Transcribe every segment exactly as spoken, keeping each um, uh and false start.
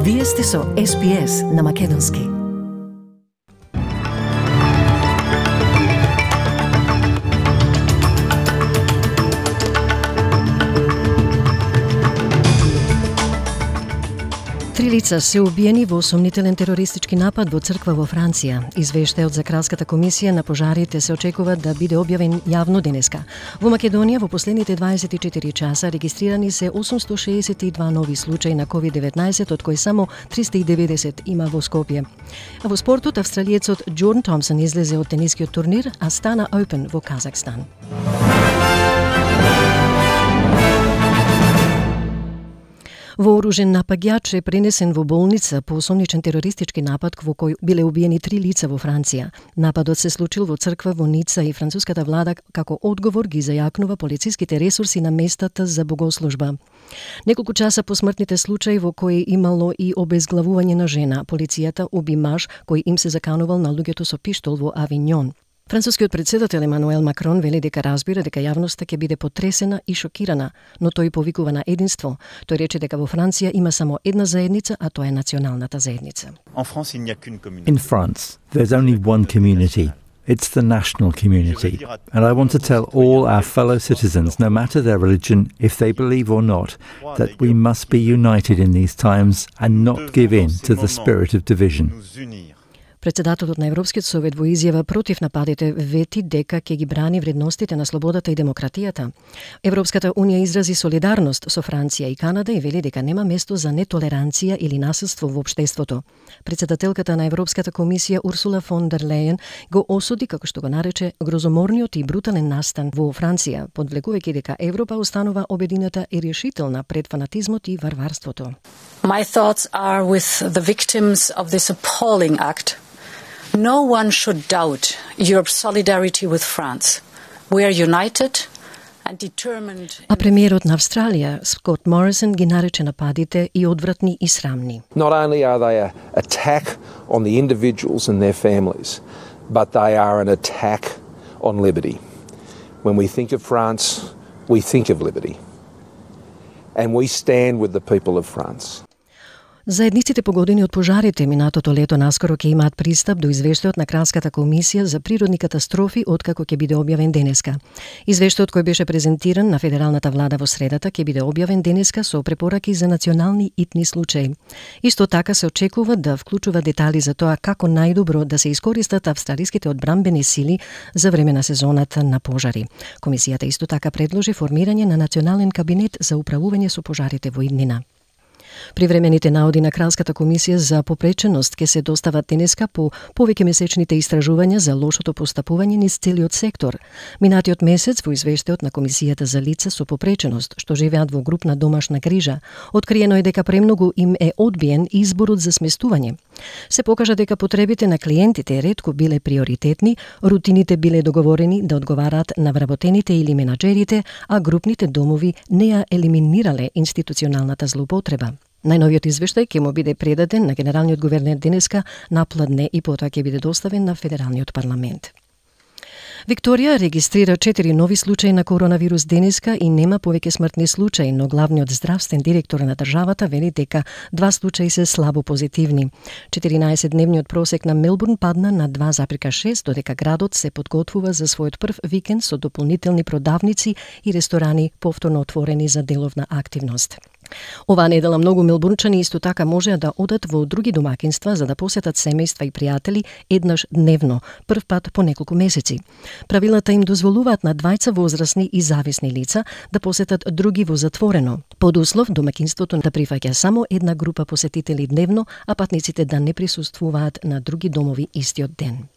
Вие сте со Ес Би Ес на Македонски. Три лица се убиени во сомнителен терористички напад во црква во Франција. Извештајот за Кралската комисија на пожарите се очекува да биде објавен јавно денеска. Во Македонија во последните дваесет и четири часа регистрирани се осумсто шеесет и два нови случаи на ковид деветнаесет, од кои само триста и деветдесет има во Скопје. А во спортот австралиецот Джордан Томсон излезе од тенискиот турнир Астана Опен во Казахстан. Вооружен напаѓач е пренесен во болница по осомничен терористички напад во кој биле убиени три лица во Франција. Нападот се случил во црква во Ница и француската влада како одговор ги зајакнува полициските ресурси на местата за богослужба. Неколку часа по смртните случаи во кои имало и обезглавување на жена, полицијата уби маж кој им се заканувал на луѓето со пиштол во Авиньон. Францускиот председател Емануел Макрон вели дека разбира дека јавноста ќе биде потресена и шокирана, но тој повикува на единство. Тој рече дека во Франција има само една заедница, а тоа е националната заедница. In France, there's only one community. It's the national community. And I want to tell all our fellow citizens, no matter their religion, if they believe or not, that we must be united in these times and not give in to the spirit of division. Председателот на Европскиот совет во изјава против нападите вети дека ќе ги брани вредностите на слободата и демократијата. Европската унија изрази солидарност со Франција и Канада и вели дека нема место за нетолеранција или насилство во општеството. Председателката на Европската комисија Урсула фон дер Лејен го осуди, како што го нарече, грозоморниот и брутален настан во Франција, подвлекувајќи дека Европа останува обединета и решителна пред фанатизмот и варварството. My thoughts are with the victims of this appalling act. No one should doubt Europe's solidarity with France. We are united and determined. А премиерот на Австралија, Скот Морисон, ги нарече нападите и одвратни и срамни. Not only are they an attack on the individuals and their families, but they are an attack on liberty. When we think of France, we think of liberty. And we stand with the people of France. Заедниците погодени од пожарите минатото лето наскоро ќе имаат пристап до извештајот на Кралската комисија за природни катастрофи откако ќе биде објавен денеска. Извештајот кој беше презентиран на федералната влада во средата ќе биде објавен денеска со препораки за национални итни случаи. Исто така се очекува да вклучува детали за тоа како најдобро да се искористат австралиските одбранбени сили за време на сезоната на пожари. Комисијата исто така предложи формирање на национален кабинет за управување со пожарите во иднина. Привремените наоди на Кралската комисија за попреченост ќе се достават денеска по повеќе месечните истражувања за лошото постапување низ целиот сектор. Минатиот месец во извештајот на Комисијата за лица со попреченост што живеат во групна домашна грижа, откриено е дека премногу им е одбиен изборот за сместување. Се покажа дека потребите на клиентите ретко биле приоритетни, рутините биле договорени да одговараат на вработените или менаџерите, а групните домови не ја елиминирале институционалната злоупотреба. Најновиот извештај ќе му биде предаден на генералниот гувернер денеска напладне и потоа ќе биде доставен на федералниот парламент. Викторија регистрира четири нови случаи на коронавирус денеска и нема повеќе смртни случаи, но главниот здравствен директор на државата вели дека два случаи се слабо позитивни. четиринаесетдневниот просек на Мелбурн падна на два запирка шест, додека градот се подготвува за својот прв викенд со дополнителни продавници и ресторани повторно отворени за деловна активност. Оваа недела многу мелбурнчани исто така можеа да одат во други домакинства за да посетат семејства и пријатели еднаш дневно, прв пат по неколку месеци. Правилата им дозволуваат на двајца возрастни и зависни лица да посетат други во затворено, под услов домакинството да прифаќа само една група посетители дневно, а патниците да не присуствуваат на други домови истиот ден.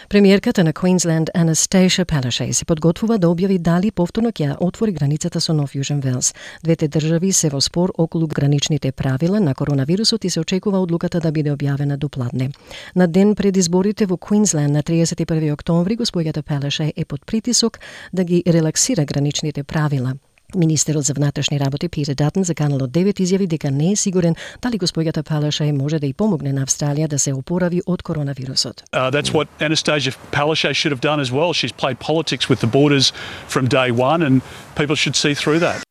Премиерката на Queensland Anastasia Palaszczuk се подготвува да објави дали повторно ќе ја отвори границата со Нов Јужен Велс. Двете држави се во спор околу граничните правила на коронавирусот и се очекува одлуката да биде објавена до пладне. На ден пред изборите во Queensland на триесет и први октомври госпоѓата Palaszczuk е под притисок да ги релаксира граничните правила. Министерот за внатрешни работи Питер Датон за Канал девет изјави дека не е сигурен дали госпоѓата Palaszczuk може да и помогне на Австралија да се опорави од коронавирусот. Uh, that's what Anastasia Palaszczuk should have done as well. She's played politics with the borders from day one and people should see through that.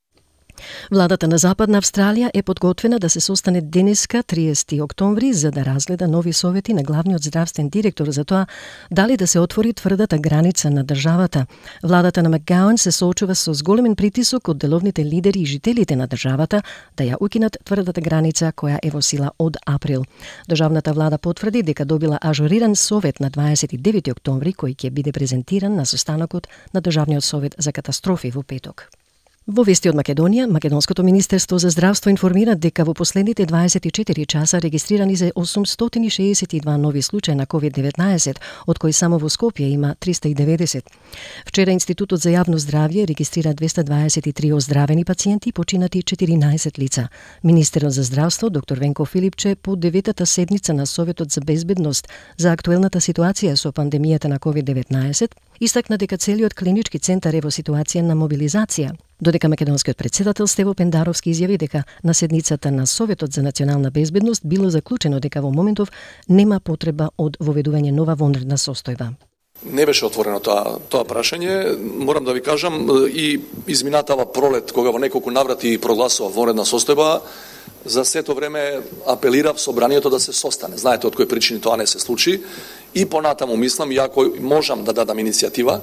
Владата на Западна Австралија е подготвена да се состане денеска, триесети октомври, за да разгледа нови совети на главниот здравствен директор за тоа дали да се отвори тврдата граница на државата. Владата на Макгауан се соочува со зголемен притисок од деловните лидери и жителите на државата да ја укинат тврдата граница која е во сила од април. Државната влада потврди дека добила ажуриран совет на дваесет и девети октомври кој ќе биде презентиран на состанокот на Државниот совет за катастрофи во петок. Во вести од Македонија, Македонското министерство за здравство информира дека во последните дваесет и четири часа регистрирани се осумстотини шеесет и два нови случаи на ковид деветнаесет, од кои само во Скопје има триста и деветдесет. Вчера Институтот за јавно здравје регистрира двеста дваесет и три оздравени пациенти и починати четиринаесет лица. Министерот за здравство, доктор Венко Филипче, по деветата седница на Советот за безбедност за актуелната ситуација со пандемијата на ковид деветнаесет, истакна дека целиот клинички центар е во ситуација на мобилизација, додека македонскиот председател Стево Пендаровски изјави дека на седницата на Советот за национална безбедност било заклучено дека во моментов нема потреба од воведување нова вонредна состојба. Не беше отворено тоа тоа прашање. Морам да ви кажам, и изминатава пролет, кога во неколку наврати прогласува вонредна состојба, за сето време апелирав собранието да се состане. Знаете од кои причини тоа не се случи. И понатаму мислам, иако можам да дадам иницијатива,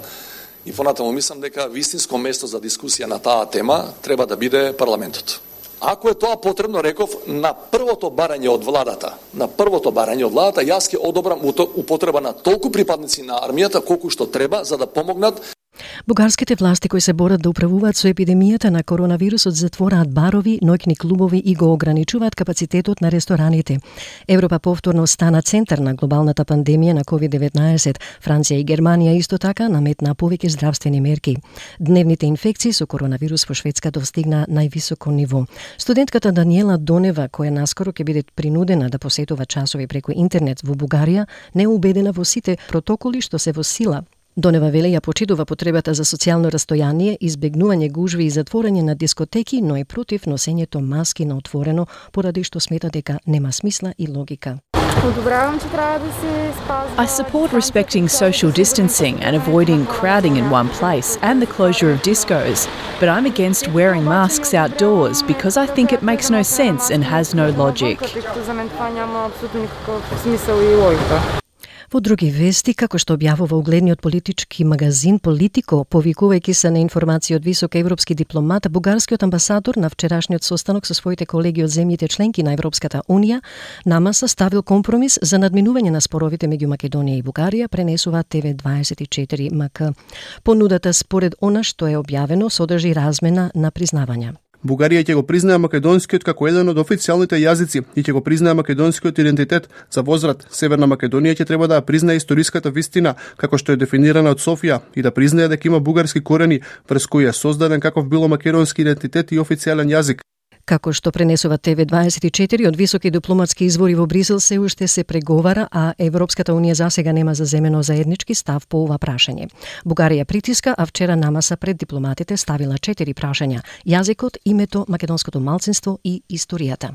и понатаму мислам дека вистинско место за дискусија на таа тема треба да биде парламентот. Ако е тоа потребно, реков, на првото барање од владата, на првото барање од владата, јас ќе одобрам употреба на толку припадници на армијата колку што треба за да помогнат. Бугарските власти кои се борат да управуваат со епидемијата на коронавирусот затвораат барови, ноќни клубови и го ограничуваат капацитетот на рестораните. Европа повторно стана центар на глобалната пандемија на ковид деветнаесет. Франција и Германија исто така наметнаа повеќе здравствени мерки. Дневните инфекции со коронавирус во Шведска достигна највисоко ниво. Студентката Даниела Донева, која наскоро ќе биде принудена да посетува часови преку интернет во Бугарија, не е убедена во сите протоколи што се во сила. Донева веле ја почитува потребата за социјално растојание, избегнување гужви и затворање на дискотеки, но и против носењето маски на отворено, поради што смета дека нема смисла и логика. I support respecting social distancing and avoiding crowding in one place and the closure of discos, but I'm against wearing masks outdoors because I think it makes no sense and has no logic. Во други вести, како што објавува угледниот политички магазин Политико, повикувајќи се на информации од висок европски дипломат, бугарскиот амбасадор на вчерашниот состанок со своите колеги од земјите членки на Европската унија на маса ставил компромис за надминување на споровите меѓу Македонија и Бугарија, пренесува Т В дваесет и четири М К. Понудата според она што е објавено содржи размена на признавања. Бугарија ќе го признае македонскиот како еден од официјалните јазици и ќе го признае македонскиот идентитет. За возврат, Северна Македонија ќе треба да ја признае историската вистина, како што е дефинирана од Софија, и да признае дека има бугарски корени, врз кои е создаден каков било македонски идентитет и официјален јазик. Како што пренесува Т В дваесет и четири, од високи дипломатски извори во Брисел се уште се преговара, а Европската унија засега нема заземено заеднички став по ова прашање. Бугарија притиска, а вчера намаса пред дипломатите ставила четири прашања: јазикот, името, македонското малцинство и историјата.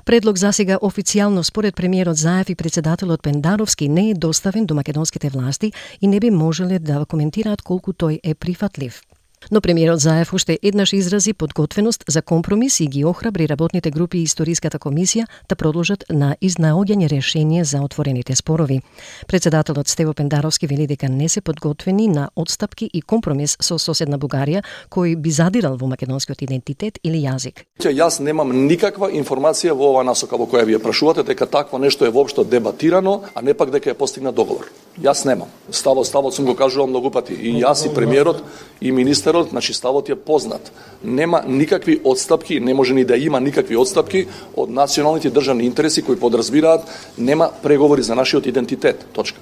Предлог засега официјално според премиерот Заев и председателот Пендаровски не е доставен до македонските власти и не би можеле да коментираат колку тој е прифатлив. Но премиерот Заев уште еднаш изрази подготвеност за компромис и ги охрабри работните групи и историската комисија да продолжат на изнаоѓање решение за отворените спорови. Председателот Стево Пендаровски вели дека не се подготвени на отстапки и компромис со соседна Бугарија, кој би задирал во македонскиот идентитет или јазик. Јас немам никаква информација во ова насока во која вие прашувате дека такво нешто е воопшто дебатирано, а не пак дека е постигнат договор. Јас немам. Ставот, ставот сум го кажувал многу пати. И јас и премиерот и министерот, значи ставот е познат. Нема никакви отстапки, не може ни да има никакви отстапки од националните државни интереси кои подразбираат нема преговори за нашиот идентитет. Точка.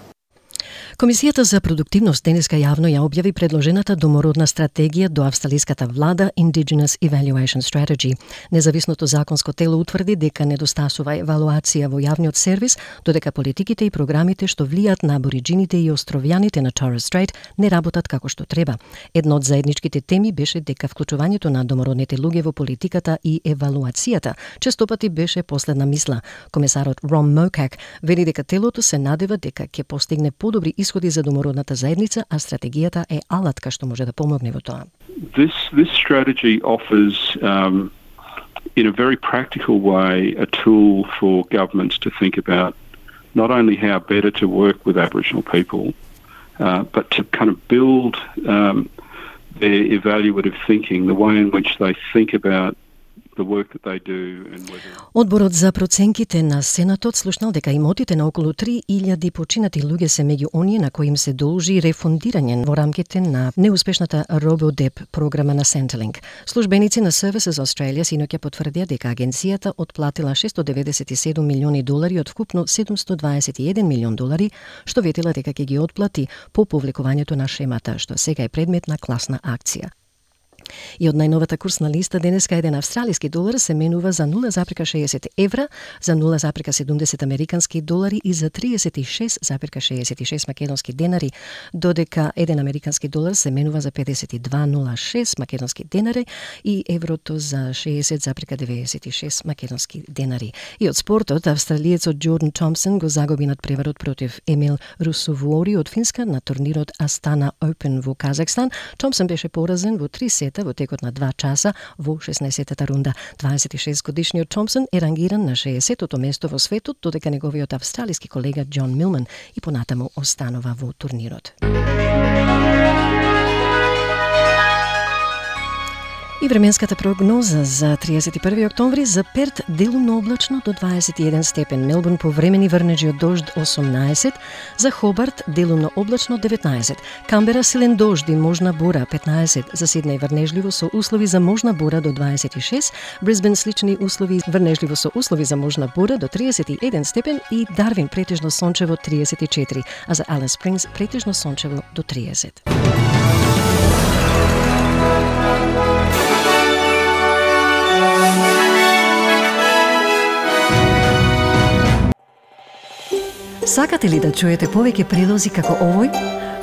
Комисијата за продуктивност денеска јавно ја објави предложената домородна стратегија до австралиската влада Indigenous Evaluation Strategy. Независното законско тело утврди дека недостасува евалуација во јавниот сервис, додека политиките и програмите што влијаат на абориџините и островјаните на Torres Strait не работат како што треба. Една од заедничките теми беше дека вклучувањето на домородните луѓе во политиката и евалуацијата честопати беше последна мисла. Комесарот Рон Мокак вели дека телото се надева дека ќе постигне подобри исходи за домородната заедница, а стратегијата е алатка што може да помогне во тоа. this this strategy offers, um, in a very practical way, a tool for governments to think about not only how better to work with Aboriginal people, uh, but to kind of build um, their evaluative thinking, the way in which they think about the work that they do and whether... Одборот за проценките на Сенатот слушнал дека имотите на околу три илјади починати луѓе се меѓу оние на кои им се должи рефундирање во рамките на неуспешната RoboDep програма на Centrelink. Службеници на Services Australia синоќа потврдија дека агенцијата отплатила шестстотини деведесет и седум милиони долари од вкупно седумстотини дваесет и еден милион долари, што ветила дека ќе ги отплати по повлекувањето на шемата, што сега е предмет на класна акција. И од најновата курсна листа денеска еден австралиски долар се менува за нула запирка шеесет евра, за нула запирка седумдесет американски долари и за триесет и шест запирка шеесет и шест македонски денари, додека еден американски долар се менува за педесет и два zarez нула шест македонски денари и еврото за шеесет запирка деветдесет и шест македонски денари. И од спортот, австралиецот Джордан Томпсон го загуби над преварот против Емил Русовори од Финска на турнирот Астана Open во Казахстан. Томпсон беше поразен во три сета во текот на два часа во шеснаесеттата рунда. дваесет и шест годишниот Томпсон е рангиран на шеесеттото место во светот, додека неговиот австралиски колега Џон Милман и понатаму останува во турнирот. И временската прогноза за триесет и први октомври: за Перт делумно облачно до дваесет и еден степен, Мелбурн повремени врнежи од дожд осумнаесет, за Хобарт делумно облачно деветнаесет, Камбера силен дожд и можна бура петнаесет, за Сиднеј врнежливо со услови за можна бура до дваесет и шест, Брисбен слични услови врнежливо со услови за можна бура до триесет и еден степен и Дарвин претежно сончево триесет и четири, а за Ален Спрингс претежно сончево до триесет. Сакате ли да чуете повеќе прилози како овој?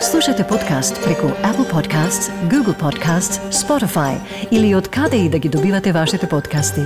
Слушате подкаст преку Apple Podcasts, Google Podcasts, Spotify или од каде и да ги добивате вашите подкасти.